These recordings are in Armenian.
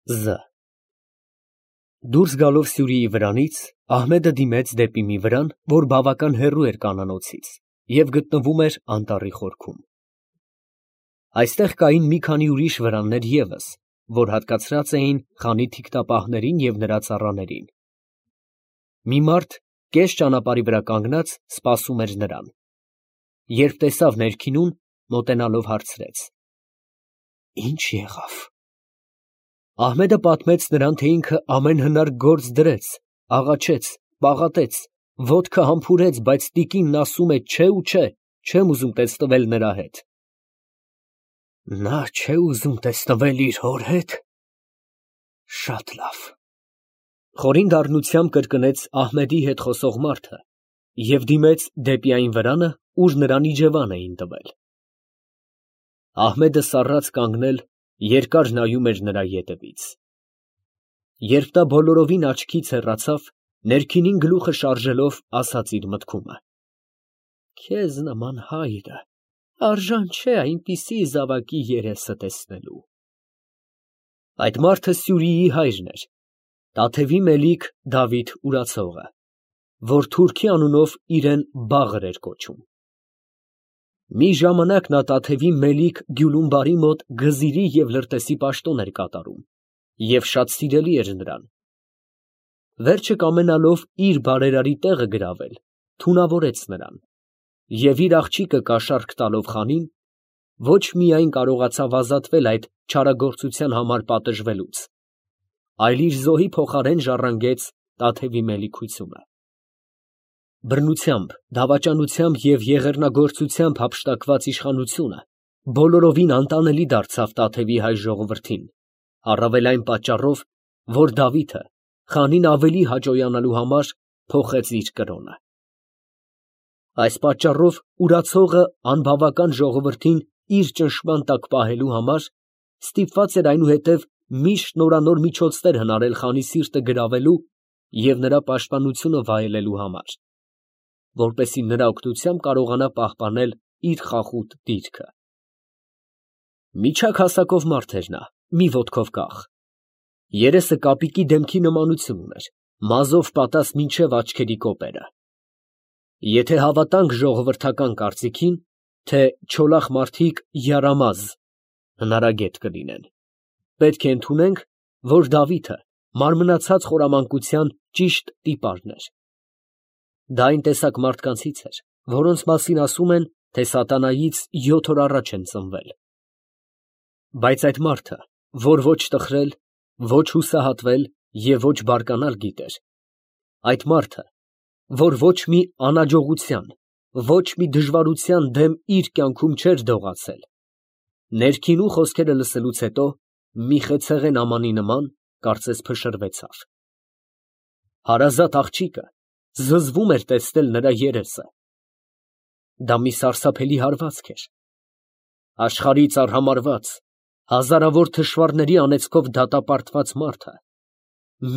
Զ Դուրս գալով Սյուրիի վրանից, Ահմեդը դիմեց դեպի մի վրան, որ բավական հեռու էր կանանոցից և գտնվում էր անտառի խորքում։ Այստեղ կային մի քանի ուրիշ վրաններ ևս, որ հատկացրած էին խանի թիկնապահներին և նրա ծառաներին։ Մի մարդ կես ճանապարհի վրա կանգնած սպասում էր նրան։ Երբ տեսավ ներքինուն, մոտենալով հարցրեց. «Ի՞նչ եղավ»։ Ահմեդը պատմեց նրան, թե ինքը ամեն հնարք գործ դրեց, աղաչեց, պաղատեց, ոտքը համբուրեց, բայց տիկինն ասում է չէ ու չէ, չեմ ուզում տեսնվել նրա հետ։ Նա չէ ուզում տեսնվել իր հոր հետ։ Շատ լավ։ Խորին դառնությամբ կրկնեց Ահմեդի հետ խոսող մարդը և դիմեց դեպի այն վրանը, ուր նրան իջևան էին տվել։ Ահմեդը սառած կանգնել, երկար նայում էր նրա ետևից։ Երբ նա բոլորովին աչքից հեռացավ, ներքինին գլուխը շարժելով, ասաց իր մտքումը. «Քեզ նման հայրը արժան չէ այնպիսի զավակի երեսը տեսնելու»։ Այդ մարդը Սյուրիի հայրն էր, Տաթևի Մելիք Դավիթ Ուրացողը, որ Թուրքի անունով իրեն Բաղր էր կոչում։ Մի ժամանակ նա Տաթևի Մելիք Գյուլումբարի մոտ գզիրի և լրտեսի պաշտոն էր կատարում և շատ սիրելի էր նրան։ Վերջը կամենալով իր բարերարի տեղը գրավել, թունավորեց նրան և իր աղջիկը կաշառք տալով խանին, ոչ միայն կարողացավ ազատվել այդ չարագործության համար պատժվելուց, այլ իր զոհի փոխարեն ժառանգեց Տաթևի մելիքությունը։ Բռնությամբ, դավաճանությամբ և եղեռնագործությամբ հափշտակված իշխանությունը բոլորովին անտանելի դարձավ Տաթևի հայ ժողովրդին, առավել այն պատճառով, որ Դավիթը խանին ավելի հաճոյանալու համար փոխեց իր կրոնը։ Այս պատճառով Ուրացողը անբավական ժողովրդին իր ճնշման տակ պահելու համար ստիպված էր այնուհետև միշտ նորանոր միջոցներ հնարել խանի սիրտը գրավելու և նրա պաշտպանությունը վայելելու համար, որպեսզի նրա օգնությամբ կարողանա պահպանել իր խախուտ դիրքը։ Միջակ հասակով մարդ էր նա, մի ոտքով կախ։ Երեսը կապիկի դեմքի նմանություն ուներ, մազով պատած մինչև աչքերի կոպերը։ Եթե հավատանք ժողովրդական կարծիքին, թե չոլախ մարդիկ յարամազ հնարագետ կլինեն, պետք է ընդունենք, որ Դավիթը մարմնացած խորամանկության ճիշտ տիպարն էր։ Դա այն տեսակ մարդկանցից էր, որոնց մասին ասում են, թե սատանայից 7 օր առաջ են ծնվել։ Բայց այդ մարդը, որ ոչ տխրել, ոչ հուսահատվել և ոչ բարկանալ գիտեր, այդ մարդը, որ ոչ մի անհաջողության, ոչ մի դժվարության դեմ իր կյանքում չէր դողացել, ներքինու խոսքերը լսելուց հետո մի խեցեղեն ամանի նման կարծես փշրվեցավ։ Հարազատ աղջիկը զզվում էր տեսնել նրա երեսը։ Դա մի սարսափելի հարվածք էր։ Աշխարհից արհամարհված, հազարավոր թշվառների անեծքով դատապարտված մարդը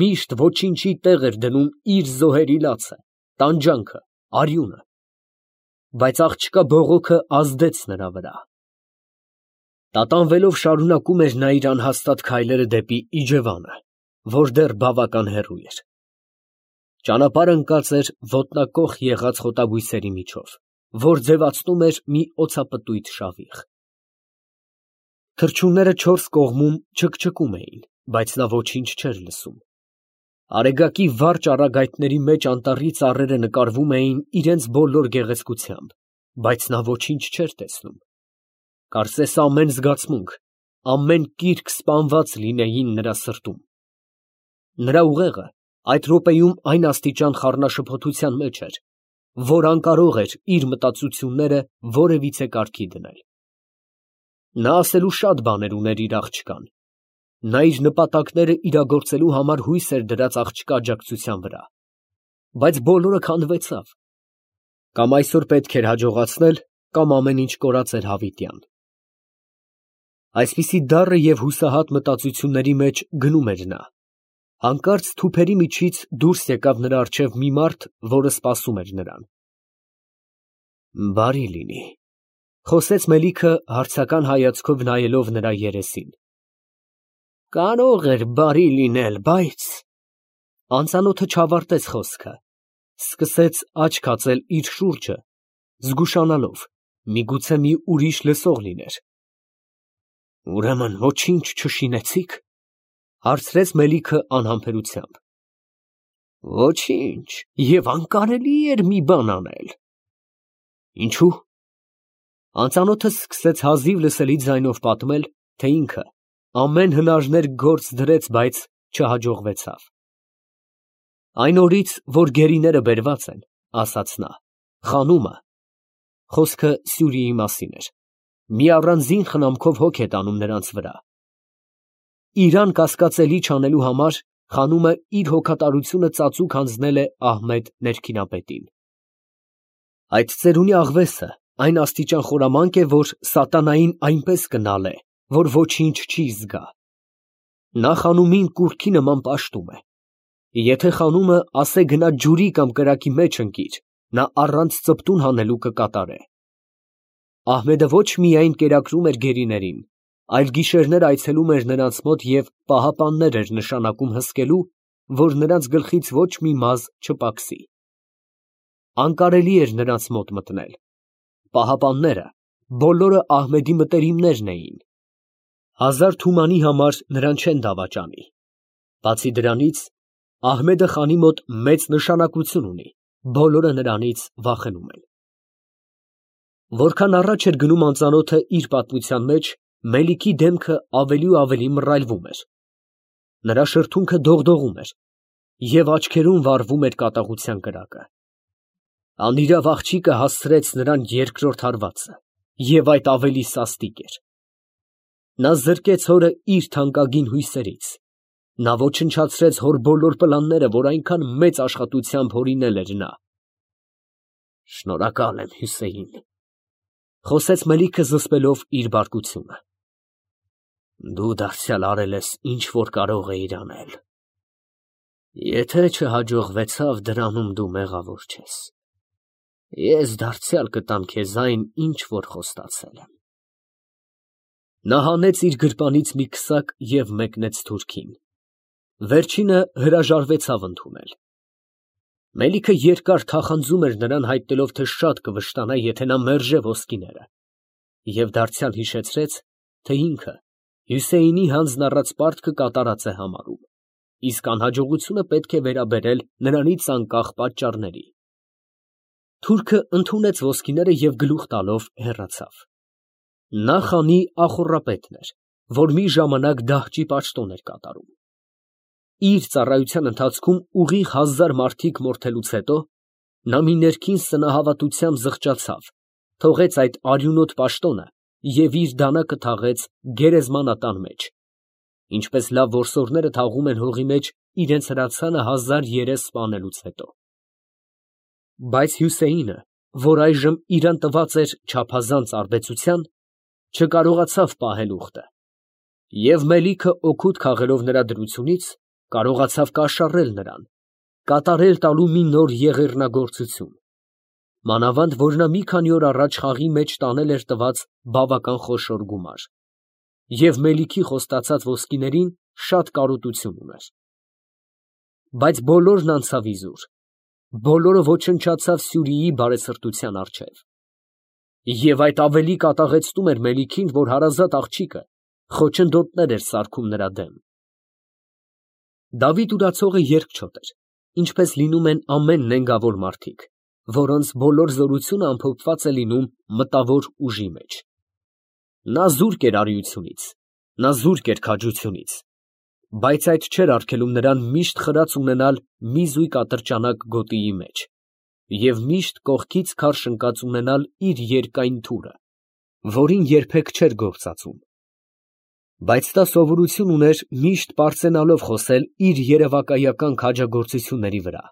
միշտ ոչինչի տեղ էր դնում իր զոհերի լացը, տանջանքը, արյունը, բայց աղջկա բողոքը ազդեց նրա վրա։ Տատանվելով շարունակում էր նա իր անհաստատ քայլերը դեպի իջևանը, որ դեռ բավական հեռու էր։ Ճանապարհ ընկած էր ոտնակոխ եղած խոտաբույսերի միջով, որ ձևացնում էր մի օձապտույտ շավիղ։ Թռչունները չորս կողմում չկչկում էին, բայց նա ոչինչ չէր լսում։ Արեգակի վառ ճառագայթների մեջ անտառի ծառերը նկարվում էին իրենց բոլոր գեղեցկությամբ, բայց նա ոչինչ չէր տեսնում։ Կարծես ամեն զգացմունք, ամեն կիրք սպանված լինեին նրա սրտում։ Նրա ուղեղը այդ րոպեում այն աստիճան խառնաշփոթության մեջ էր, որ անկարող էր իր մտածությունները որևիցե կարգի դնել։ Նա ասելու շատ բաներ ուներ իր աղջկան։ Նա իր նպատակները իրագործելու համար հույս էր դրած աղջկա աջակցության վրա, բայց բոլորը քանդվեցավ։ Կամ այսօր պետք էր հաջողացնել, կամ ամեն ինչ կորած էր հավիտյան։ Այսպիսի դառը և հուսահատ մտածությունների մեջ գնում էր նա։ Հանկարծ թուփերի միջից դուրս եկավ նրա առջև մի մարդ, որը սպասում էր նրան։ Բարի լինի, խոսեց Մելիքը հարցական հայացքով նայելով նրա երեսին։ Կարող էր բարի լինել, բայց… Անծանոթը չավարտեց խոսքը, սկսեց աչք հացել իր շուրջը, զգուշանալով, միգուցե մի ուրիշ լսող լիներ։ Ուրեմն ոչինչ չշինեցի՞ք, հարցրեց Մելիքը անհամբերությամբ։ Ոչինչ, և անկարելի էր մի բան անել։ Ինչու՞։ Անծանոթը սկսեց հազիվ լսելի ձայնով պատմել, թե ինքը ամեն հնարներ գործ դրեց, բայց չհաջողվեցավ։ Այն օրից, որ գերիները բերված են, ասաց նա, խանումը, խոսքը Սյուրիի մասին էր, մի առանձին խնամքով հոգ է տանում նրանց վրա։ Իրան կասկածելի չանելու համար խանումը իր հոգատարությունը ծածուկ հանձնել է Ահմեդ ներքինապետին։ Այդ ծերունի աղվեսը այն աստիճան խորամանկ է, որ սատանային այնպես կնալե, որ ոչինչ չի զգա։ Նա խանումին կուռքի նման պաշտում է։ Եթե խանումը ասե գնա ջուրի կամ կրակի մեջ ընկիր, նա առանց ծպտուն հանելու կկատարե։ Ահմեդը ոչ միայն կերակրում էր գերիներին, այլ գիշերներ այցելում էր նրանց մոտ և պահապաններ էր նշանակում հսկելու, որ նրանց գլխից ոչ մի մազ չպակսի։ Անկարելի էր նրանց մոտ մտնել։ Պահապանները բոլորը Ահմեդի մտերիմներն էին։ Հազար թումանի համար նրան չեն դավաճանի։ Բացի դրանից, Ահմեդը խանի մոտ մեծ նշանակություն ունի, բոլորը նրանից վախենում են։ Որքան առաջ էր գնում անծանոթը իր պատմության մեջ, Մելիքի դեմքը ավելի ու ավելի մռայլվում էր։ Նրա շրթունքը դողդողում էր և աչքերում վառվում էր կատաղության կրակը։ Անիրավ աղջիկը հասցրեց նրան երկրորդ հարվածը, և այդ ավելի սաստիկ էր։ Նա զրկեց հորը իր թանկագին հույսերից։ Նա ոչնչացրեց հոր բոլոր պլանները, որ այնքան մեծ աշխատությամբ հորինել էր նա։ Շնորհակալ եմ, Հյուսեյին, խոսեց Մելիքը զսպելով իր բարկությունը։ Դու դարձյալ արել ես, ինչ որ կարող էիր անել։ Եթե չհաջողվեցավ, դրանում դու մեղավոր չես։ Ես դարձյալ կտամ քեզ այն, ինչ որ խոստացել եմ։ Նա հանեց իր գրպանից մի քսակ և մեկնեց թուրքին։ Վերջինը հրաժարվեցավ ընդունել։ Մելիքը երկար թախանձում էր նրան, հայտնելով, թե շատ կվշտանա, եթե նա մերժե ոսկիները, և դարձյալ հիշեցրեց, թե ինքը Հյուսեյնի հանձն առած պարտքը կատարած է համարում, իսկ անհաջողությունը պետք է վերաբերել նրանից անկախ պատճառների։ Թուրքը ընդունեց ոսկիները և գլուխ տալով հեռացավ։ Նա խանի ախոռապետն էր, որ մի ժամանակ դահճի պաշտոն էր կատարում։ Իր ծառայության ընթացքում ուղիղ 1000 մարդիկ մորթելուց հետո նա մի ներքին սնահավատությամբ զղջացավ, թողեց այդ արյունոտ պաշտոնը և իր դանակը թաղեց գերեզմանատան մեջ, ինչպես լավ որսորդները թաղում են հողի մեջ իրենց հրացանը 1000 երես սպանելուց հետո։ Բայց Հյուսեյինը, որ այժմ իրան տված էր չափազանց արբեցության, չկարողացավ պահել ուխտը, և Մելիքը օգուտ քաղելով նրա դրությունից, կարողացավ կաշառել նրան, կատարել տալու մի նոր եղեռնագործություն, մանավանդ որ նա մի քանի օր առաջ խաղի մեջ տանել էր տված բավական խոշոր գումար, և Մելիքի խոստացած ոսկիներին շատ կարոտություն ուներ։ Բայց բոլորն անցավ իզուր, բոլորը ոչնչացավ Սյուրիի բարեսրտության առջև։ Եվ այդ ավելի կատաղեցնում էր Մելիքին, որ հարազատ աղջիկը խոչընդոտներ էր սարքում նրա դեմ։ Դավիթ ուրացողը երկչոտ էր, ինչպես լինում են ամեն նենգավոր մարդիկ, որոնց բոլոր զորությունը ամփոփված է լինում մտավոր ուժի մեջ։ Նա զուրկ էր արիությունից, նա զուրկ էր քաջությունից, բայց այդ չէր արգելում նրան միշտ խրած ունենալ մի զույգ ատրճանակ գոտիի մեջ և միշտ կողքից քարշ ընկած ունենալ իր երկայն թուրը, որին երբեք չէր գործածում։ Բայց նա սովորություն ուներ միշտ պարծենալով խոսել իր երևակայական քաջագործությունների վրա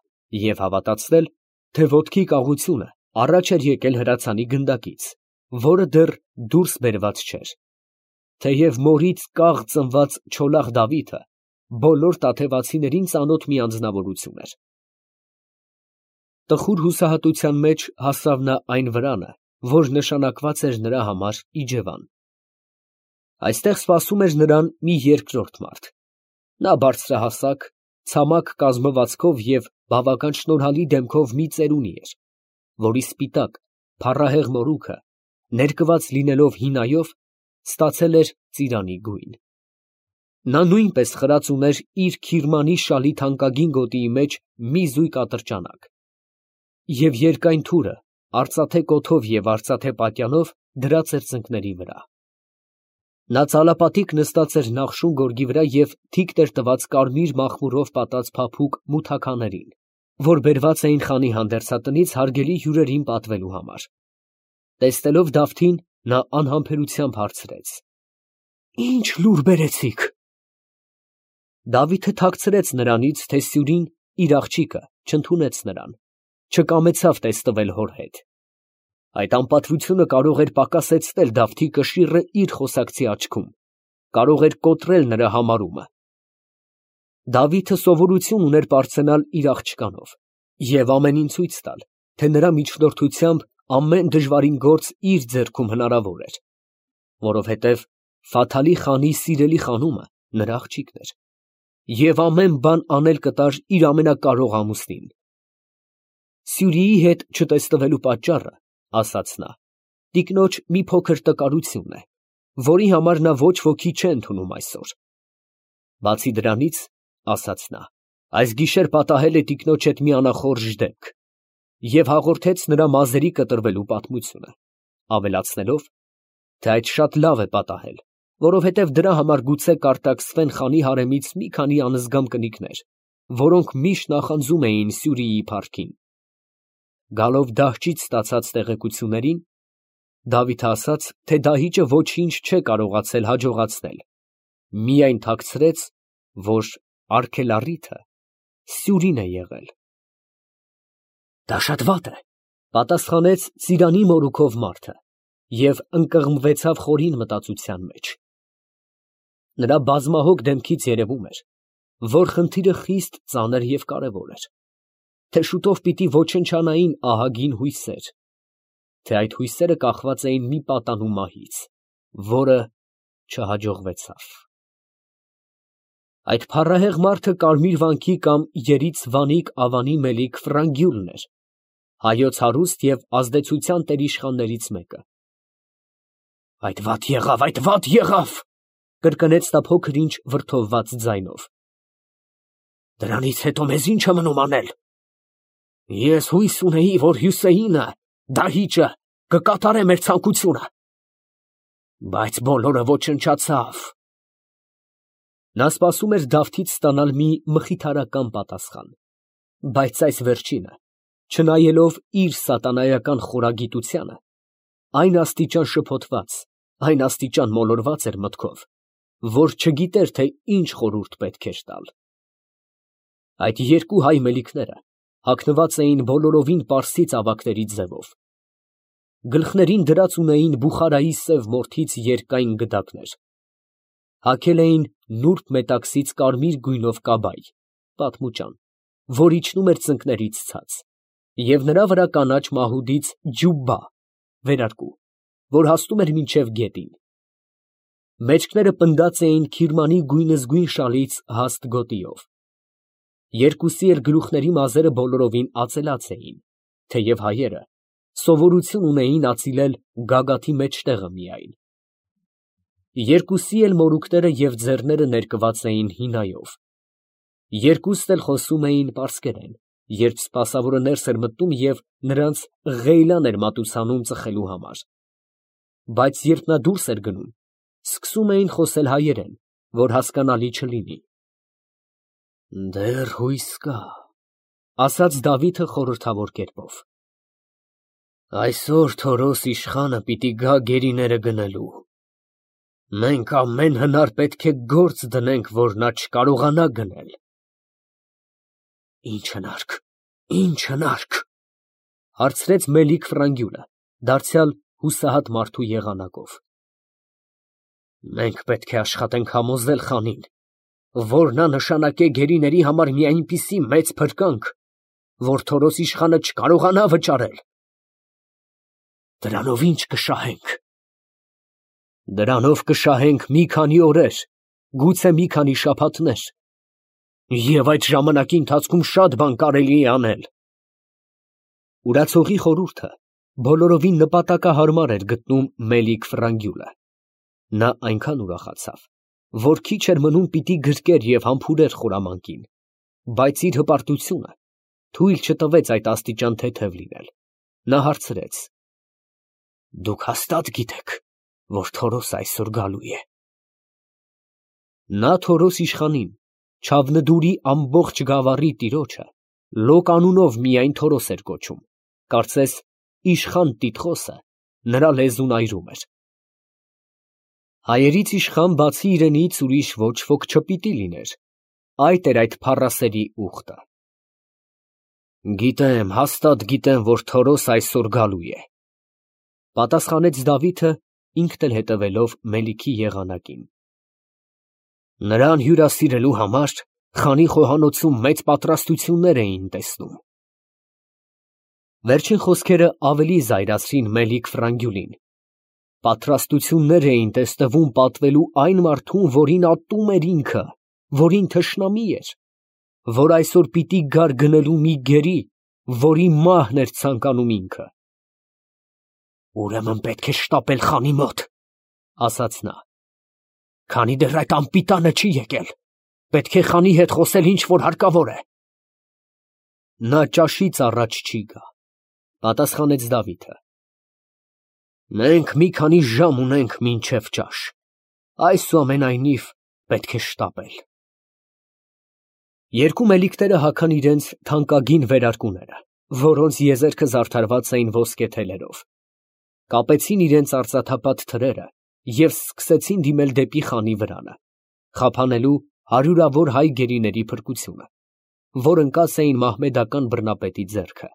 և հավատացնել, թե ոտքի կաղությունը առաջ էր եկել հրացանի գնդակից, որը դեռ դուրս բերված չէր, թեև մորից կաղ ծնված չոլախ Դավիթը բոլոր տաթևացիներին ծանոթ մի անձնավորություն էր։ Տխուր հուսահատության մեջ հասավ նա այն վրանը, որ նշանակված էր նրա համար իջևան։ Այստեղ սպասում էր նրան մի երկրորդ մարդ։ Նա բարձրահասակ, ցամաք կազմվածքով և բավական շնորհալի դեմքով մի ծերունի էր, որի սպիտակ, փառահեղ մորուքը, ներկված լինելով հինայով, ստացել էր ծիրանի գույն։ Նա նույնպես խրած ուներ իր քիրմանի շալի թանկագին գոտիի մեջ մի զույգ ատրճանակ, և երկայն թուրը արծաթե կոթով և արծաթե պատյանով դրած էր ծնկների վրա։ Նա ծալապատիկ նստած էր նախշուն գորգի վրա և թիկն էր տված կարմիր մախմուրով պատած փափուկ մութաքաներին, որ բերված էին խանի հանդերձատնից հարգելի հյուրերին պատվելու համար։ Տեսնելով Դավթին, նա անհամբերությամբ հարցրեց. «Ի՞նչ լուր բերեցիք»։ Դավիթը թաքցրեց նրանից, թե սյուրին, իր աղջիկը, չընդունեց նրան, չկամեցավ տեստվել հոր հետ։ Այդ անպատվությունը կարող էր պակասեցնել Դավթի կշիռը իր խոսակցի աչքում, կարող էր կոտրել նրա համարումը։ Դավիթը սովորություն ուներ պարծենալ իր աղջկանով և ամենին ցույց տալ, թե նրա միջնորդությամբ ամեն դժվարին գործ իր ձեռքում հնարավոր էր, որովհետև Ֆաթալի խանի սիրելի խանումը նրա աղջիկն էր, և ամեն բան անել կտար իր ամենակարող ամուսնին։ Սյուրիի հետ չտեսնվելու պատճառը, ասաց նա, տիկնոջ մի փոքր տկարությունն է, որի համար նա ոչ ոքի չէ ընդունում այսօր։ Բացի դրանից, ասաց նա, այս գիշեր պատահել է տիկնոջ հետ մի անախորժ դեպք, և հաղորդեց նրա մազերի կտրվելու պատմությունը, ավելացնելով, թե այդ շատ լավ է պատահել, որովհետև դրա համար գուցե կարտաքսվեն խանի հարեմից մի քանի անզգամ կնիկներ, որոնք միշտ նախանձում էին Սյուրիի փառքին։ Գալով դահճից ստացած տեղեկություններին, Դավիթը ասաց, թե դահիճը ոչինչ չէ կարողացել հաջողացնել, միայն թաքցրեց, որ արգելառիթը Սյուրին է եղել։ «Դա շատ վատ է», պատասխանեց ծիրանի մորուքով մարդը և ընկղմվեցավ խորին մտածության մեջ։ Նրա բազմահոգ դեմքից երևում էր, որ խնդիրը խիստ ծանր և կարևոր էր, թե շուտով պիտի ոչնչանային ահագին հույսեր, թե այդ հույսերը կախված էին մի պատանու մահից, որը չհաջողվեցավ։ Այդ փառահեղ մարդը կարմիր վանքի կամ երից Վանիկ Ավանի Մելիք Ֆրանգյուլն էր, հայոց հարուստ և ազդեցության տերիշխաններից մեկը։ «Այդ վատ եղավ, այդ վատ եղավ», կրկնեց նա փոքր-ինչ վրդովված ձայնով։ «Դրանից հետո մեզ ի՞նչ է մնում անել։ Ես հույս ունեի, որ Հյուսեյինը, դահիճը, կկատարե մեր ցանկությունը, բայց բոլորը ոչնչացավ»։ Նա սպասում էր Դավթից ստանալ մի մխիթարական պատասխան, բայց այս վերջինը, չնայելով իր սատանայական խորագիտությանը, այն աստիճան շփոթված, այն աստիճան մոլորված էր մտքով, որ չգիտեր, թե ինչ խորհուրդ պետք էր տալ։ Այդ երկու հայ մելիքները հագնված էին բոլորովին պարսի ծավակների ձևով։ Գլխներին դրած ունեին Բուխարայի սև մորթից երկայն գդակներ, հագել էին նուրբ մետաքսից կարմիր գույնով կաբայ (պատմուճան), որ իջնում էր ծնկներից ցած, և նրա վրա կանաչ մահուդից ջուբբա (վերարկու), որ հասնում էր մինչև գետին։ Մեջքները պնդած էին քիրմանի գույնզգույն շալից հաստ գոտիով։ Երկուսի էլ գլուխների մազերը բոլորովին ածելած էին, թեև հայերը սովորություն ունեին ածիլել գագաթի մեջտեղը միայն։ Երկուսի էլ մորուքները և ձեռները ներկված էին հինայով։ Երկուստ էլ խոսում էին պարսկերեն, երբ սպասավորը ներս էր մտնում և նրանց ղեյլան էր մատուցանում ծխելու համար, բայց երբ նա դուրս էր գնում, սկսում էին խոսել հայերեն, որ հասկանալի չլինի։ «Դեռ հույս կա», ֊ ասաց Դավիթը խորհրդավոր կերպով։ «Այսօր Թորոս իշխանը պիտի գա գերիները գնելու։ Մենք ամեն հնար պետք է գործ դնենք, որ նա չկարողանա գնել»։ «Ի՞նչ հնարք, ի՞նչ հնարք», ֊ հարցրեց Մելիք Ֆրանգյուլը, դարձյալ հուսահատ մարդու եղանակով։ «Մենք պետք է աշխատենք համոզել խանին, որ նա նշանակե գերիների համար մի այնպիսի մեծ փրկանք, որ Թորոս իշխանը չկարողանա վճարել։ Դրանով ի՞նչ կշահենք»։ Դրանով կշահենք մի քանի օրեր, գուցե մի քանի շաբաթներ, և այդ ժամանակի ընթացքում շատ բան կարելի է անել։ Ուրացողի խորհուրդը բոլորովին նպատակահարմար էր գտնում Մելիք Ֆրանգյուլը։ Նա այնքան ուրախացավ, որ քիչ էր մնում պիտի գրկեր և համբուրեր խորամանկին, բայց իր հպարտությունը թույլ չտվեց այդ աստիճան թեթև լինել։ Նա հարցրեց. «Դուք հաստատ գիտեք, որ Թորոսը այսօր գալու է»։ Նա Թորոս իշխանին, Չավնդուրի ամբողջ գավառի տիրոջը, Լոկ անունով միայն Թորոս էր կոչում, կարծես իշխան տիտղոսը նրա լեզուն այրում էր։ Հայերից իշխան բացի իրենից ուրիշ ոչ ոք չպիտի լիներ, այդ էր այդ փառասերի ուխտը։ Գիտեմ, հաստատ գիտեմ, որ Թորոս այսօր գալու է, պատասխանեց Դավիթը, ինքն էլ հետևելով Մելիքի եղանակին։ Նրան հյուրասիրելու համար խանի խոհանոցում մեծ պատրաստություններ էին տեսնում։ Վերջին խոսքերը ավելի զայրացրին Մելիք Ֆրանգյուլին։ Պատրաստություններ էին տեսնվում պատվելու այն մարդուն, որին ատում էր ինքը, որին թշնամի էր, որ այսօր պիտի գար գնելու մի գերի, որի մահն էր ցանկանում ինքը։ Ուրեմն պետք է շտապել խանի մոտ, ասաց նա, քանի դեռ այդ անպիտանը չի եկել, պետք է խանի հետ խոսել ինչ որ հարկավոր է։ Նա ճաշից առաջ չի գա, պատասխանեց Դավիթը։ Մենք մի քանի ժամ ունենք մինչև ճաշ, այսուամենայնիվ պետք է շտապել։ Երկու մելիքները հագան իրենց թանկագին վերարկուները, որոնց եզերքը զարդարված էին ոսկե թելերով, կապեցին իրենց արծաթապատ թրերը և սկսեցին դիմել դեպի խանի վրանը, խափանելու հարյուրավոր հայ գերիների փրկությունը, որ ընկած էին մահմեդական բռնապետի ձեռքը։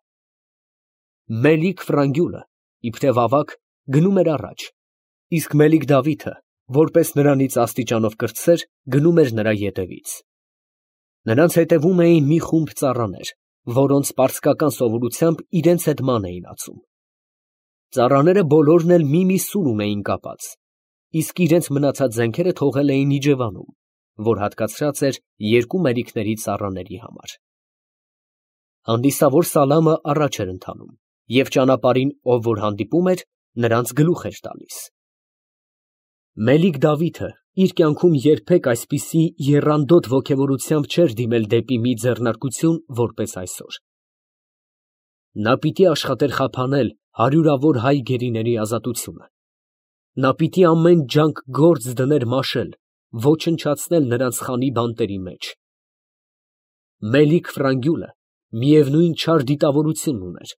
Մելիք Ֆրանգյուլը, իբրև ավագ, գնում էր առաջ, իսկ Մելիք Դավիթը, որպես նրանից աստիճանով կրտսեր, գնում էր նրա ետևից։ Նրանց հետևում էին մի խումբ ծառաներ, որոնց պարսկական սովորությամբ իրենց հետ ման էին ածում։ Ծառաները բոլորն էլ մի սուրում էին կապած, իսկ իրենց մնացած զենքերը թողել էին իջևանում, որ հատկացրած էր երկու մելիքների ծառաների համար։ Հանդիսավոր Սալամը առաջ էր ընթանում, և ճանապարհին ով որ հանդիպում էր, նրանց գլուխ էր տալիս։ Մելիք Դավիթը իր կյանքում երբեք այսպիսի եռանդոտ ոգևորությամբ չէր դիմել դեպի մի ձեռնարկություն, որպես այսօր։ Նա պիտի աշխատեր խափանել հարյուրավոր հայ գերիների ազատությունը։ Նա պիտի ամեն ջանք գործ դներ մաշել, ոչնչացնել նրանց խանի բանտերի մեջ։ Մելիք Ֆրանգյուլը միևնույն չար դիտավորությունն ուներ,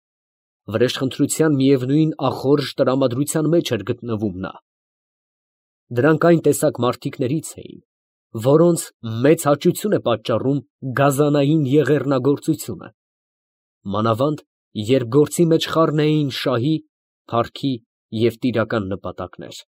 վրեժխնդրության միևնույն ախորժ տրամադրության մեջ էր գտնվում նա։ Դրանք այն տեսակ մարդիկներից էին, որոնց մեծ հաճույքություն է պատճառում գազանային եղեռնագործությունը, մանավանդ երբ գործի մեջ խառն էին շահի, փառքի և տիրական նպատակներ։